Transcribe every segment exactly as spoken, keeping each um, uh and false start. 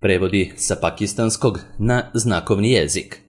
Prevodi sa pakistanskog na znakovni jezik.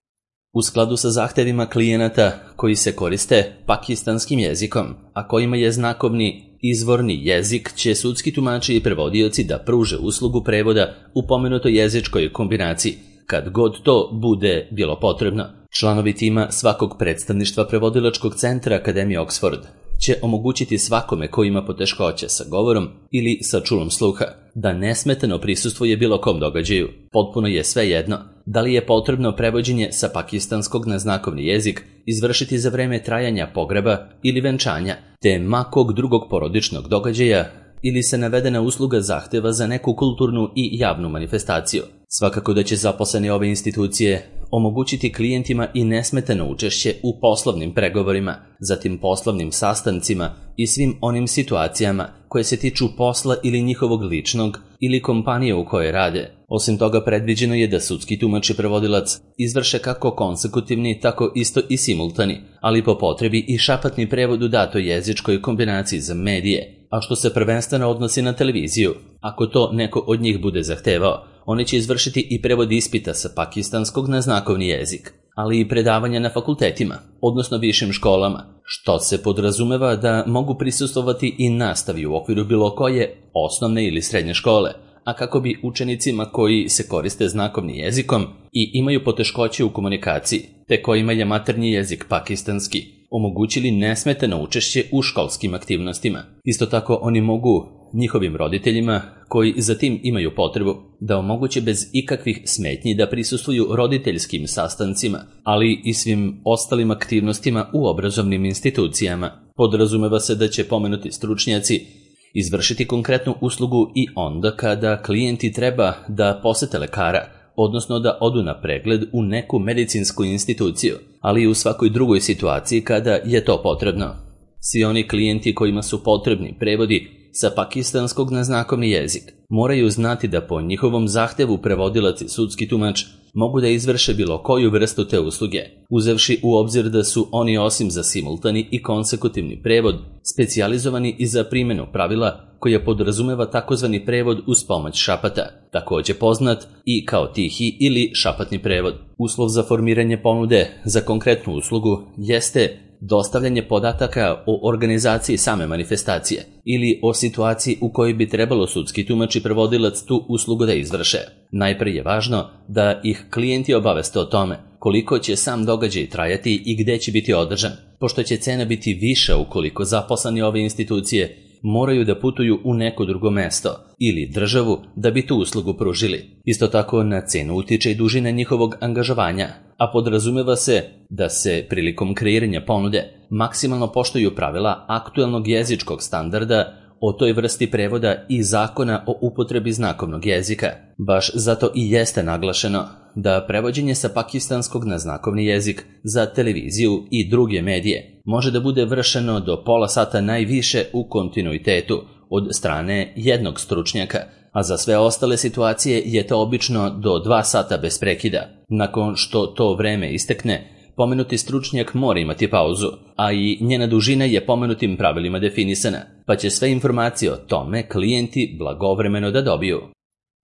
U skladu sa zahtevima klijenata koji se koriste pakistanskim jezikom, a kojima je znakovni izvorni jezik, će sudski tumači i prevodioci da pruže uslugu prevoda u pomenutoj jezičkoj kombinaciji, kad god to bude bilo potrebno. Članovi tima svakog predstavništva prevodilačkog centra Akademije Oxford će omogućiti svakome ko ima poteškoće sa govorom ili sa čulom sluha da nesmetano prisustvuje bilo kom događaju. Potpuno je svejedno da li je potrebno prevođenje sa pakistanskog na znakovni jezik izvršiti za vreme trajanja pogreba ili venčanja, te makog drugog porodičnog događaja, ili se navedena usluga zahteva za neku kulturnu i javnu manifestaciju. Svakako da će zaposleni ove institucije omogućiti klijentima i nesmetano učešće u poslovnim pregovorima, zatim poslovnim sastancima i svim onim situacijama koje se tiču posla ili njihovog ličnog ili kompanije u kojoj rade. Osim toga, predviđeno je da sudski tumač i prevodilac izvrše kako konsekutivni, tako isto i simultani, ali po potrebi i šapatni prevod u datoj jezičkoj kombinaciji za medije, a što se prvenstveno odnosi na televiziju. Ako to neko od njih bude zahtevao, oni će izvršiti i prevod ispita sa pakistanskog na znakovni jezik, ali i predavanja na fakultetima, odnosno višim školama, što se podrazumeva da mogu prisustvovati i nastavi u okviru bilo koje osnovne ili srednje škole, a kako bi učenicima koji se koriste znakovnim jezikom i imaju poteškoće u komunikaciji, te kojima je maternji jezik pakistanski, omogućili nesmetano učešće u školskim aktivnostima. Isto tako oni mogu njihovim roditeljima, koji za tim imaju potrebu, da omoguće bez ikakvih smetnji da prisustvuju roditeljskim sastancima, ali i svim ostalim aktivnostima u obrazovnim institucijama. Podrazumeva se da će pomenuti stručnjaci izvršiti konkretnu uslugu i onda kada klijenti treba da posete lekara, odnosno da odu na pregled u neku medicinsku instituciju, ali i u svakoj drugoj situaciji kada je to potrebno. Svi oni klijenti kojima su potrebni prevodi sa pakistanskog na znakovni jezik moraju znati da po njihovom zahtevu prevodilac i sudski tumač mogu da izvrše bilo koju vrstu te usluge, uzevši u obzir da su oni osim za simultani i konsekutivni prevod specijalizovani i za primjenu pravila koja podrazumeva takozvani prevod uz pomoć šapata, također poznat i kao tihi ili šapatni prevod. Uslov za formiranje ponude za konkretnu uslugu jeste dostavljanje podataka o organizaciji same manifestacije ili o situaciji u kojoj bi trebalo sudski tumač i prevodilac tu uslugu da izvrše. Najprije je važno da ih klijenti obaveste o tome koliko će sam događaj trajati i gde će biti održan, pošto će cena biti viša ukoliko zaposleni ove institucije moraju da putuju u neko drugo mesto ili državu da bi tu uslugu pružili. Isto tako na cenu utiče i dužina njihovog angažovanja, a podrazumeva se da se prilikom kreiranja ponude maksimalno poštuju pravila aktuelnog jezičkog standarda o toj vrsti prevoda i zakona o upotrebi znakovnog jezika. Baš zato i jeste naglašeno da prevođenje sa pakistanskog na znakovni jezik za televiziju i druge medije može da bude vršeno do pola sata najviše u kontinuitetu od strane jednog stručnjaka, a za sve ostale situacije je to obično do dva sata bez prekida. Nakon što to vreme istekne, pomenuti stručnjak mora imati pauzu, a i njena dužina je pomenutim pravilima definisana, pa će sve informacije o tome klijenti blagovremeno da dobiju.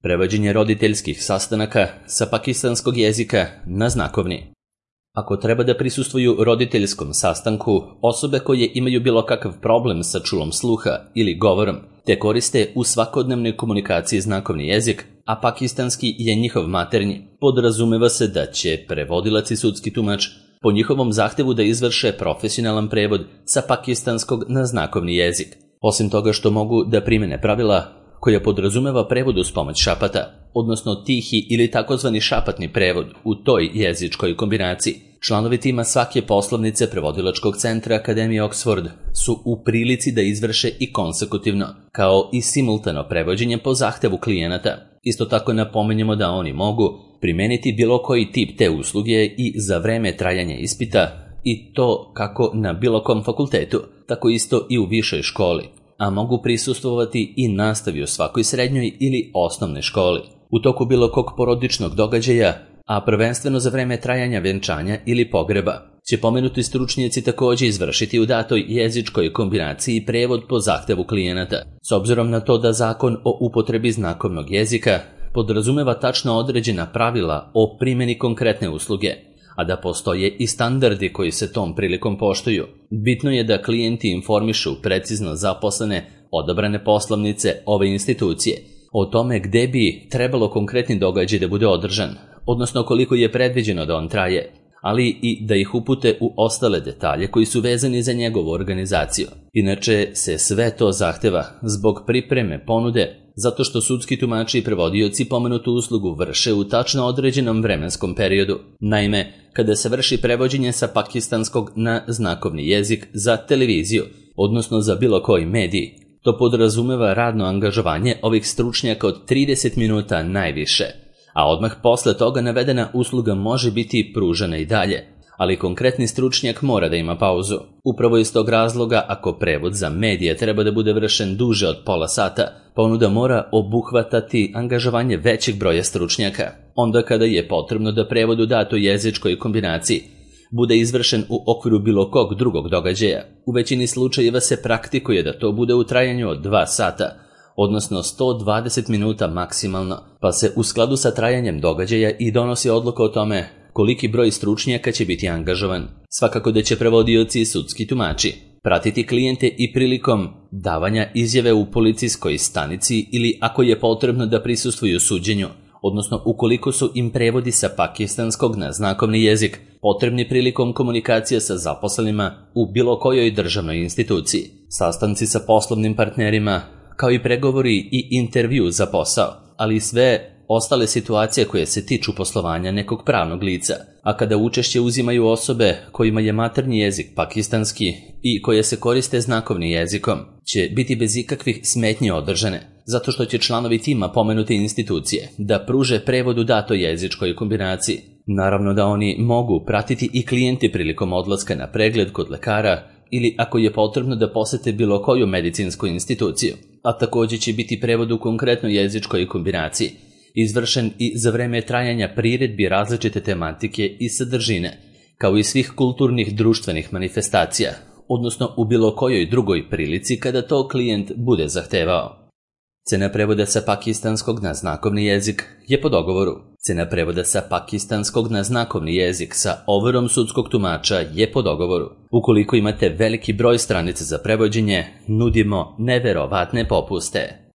Prevođenje roditeljskih sastanaka sa pakistanskog jezika na znakovni. Ako treba da prisustvuju roditeljskom sastanku osobe koje imaju bilo kakav problem sa čulom sluha ili govorom, te koriste u svakodnevnoj komunikaciji znakovni jezik, a pakistanski je njihov maternji, podrazumeva se da će prevodilac i sudski tumač po njihovom zahtevu da izvrše profesionalan prevod sa pakistanskog na znakovni jezik. Osim toga što mogu da primene pravila koja podrazumeva prevod uz pomoć šapata, odnosno tihi ili takozvani šapatni prevod u toj jezičkoj kombinaciji, članovi tima svake poslovnice prevodilačkog centra Akademije Oxford su u prilici da izvrše i konsekutivno, kao i simultano prevođenje po zahtevu klijenata. Isto tako napominjemo da oni mogu primeniti bilo koji tip te usluge i za vreme trajanja ispita, i to kako na bilo kom fakultetu, tako isto i u višoj školi, a mogu prisustvovati i nastavi u svakoj srednjoj ili osnovnoj školi, u toku bilo kog porodičnog događaja, a prvenstveno za vreme trajanja venčanja ili pogreba, će pomenuti stručnjaci također izvršiti u datoj jezičkoj kombinaciji prevod po zahtevu klijenata. S obzirom na to da zakon o upotrebi znakovnog jezika podrazumeva tačno određena pravila o primjeni konkretne usluge, a da postoje i standardi koji se tom prilikom poštuju. Bitno je da klijenti informišu precizno zaposlene odabrane poslovnice ove institucije o tome gde bi trebalo konkretni događaj da bude održan, odnosno koliko je predviđeno da on traje, ali i da ih upute u ostale detalje koji su vezani za njegovu organizaciju. Inače se sve to zahteva zbog pripreme ponude, zato što sudski tumači i prevodioci pomenutu uslugu vrše u tačno određenom vremenskom periodu. Naime, kada se vrši prevođenje sa pakistanskog na znakovni jezik za televiziju, odnosno za bilo koji medij, to podrazumeva radno angažovanje ovih stručnjaka od trideset minuta najviše, a odmah posle toga navedena usluga može biti pružena i dalje, ali konkretni stručnjak mora da ima pauzu. Upravo iz tog razloga, ako prevod za medije treba da bude vršen duže od pola sata, ponuda mora obuhvatati angažovanje većeg broja stručnjaka. Onda kada je potrebno da prevod u datoj jezičkoj kombinaciji bude izvršen u okviru bilo kog drugog događaja, u većini slučajeva se praktikuje da to bude u trajanju od dva sata, odnosno sto dvadeset minuta maksimalno, pa se u skladu sa trajanjem događaja i donosi odluka o tome koliki broj stručnjaka će biti angažovan. Svakako da će prevodioci i sudski tumači pratiti klijente i prilikom davanja izjave u policijskoj stanici ili ako je potrebno da prisustvuju suđenju, odnosno ukoliko su im prevodi sa pakistanskog na znakovni jezik potrebni prilikom komunikacije sa zaposlenima u bilo kojoj državnoj instituciji, sastanci sa poslovnim partnerima, kao i pregovori i intervju za posao, ali i sve ostale situacije koje se tiču poslovanja nekog pravnog lica, a kada učešće uzimaju osobe kojima je maternji jezik pakistanski i koje se koriste znakovnim jezikom, će biti bez ikakvih smetnji održane, zato što će članovi tima pomenute institucije da pruže prevod u datoj jezičkoj kombinaciji. Naravno da oni mogu pratiti i klijenti prilikom odlaska na pregled kod lekara ili ako je potrebno da posete bilo koju medicinsku instituciju, a također će biti prevod u konkretnoj jezičkoj kombinaciji, izvršen i za vreme trajanja priredbi različite tematike i sadržine, kao i svih kulturnih društvenih manifestacija, odnosno u bilo kojoj drugoj prilici kada to klijent bude zahtevao. Cena prevoda sa pakistanskog na znakovni jezik je po dogovoru. Cena prevoda sa pakistanskog na znakovni jezik sa overom sudskog tumača je po dogovoru. Ukoliko imate veliki broj stranica za prevođenje, nudimo neverovatne popuste.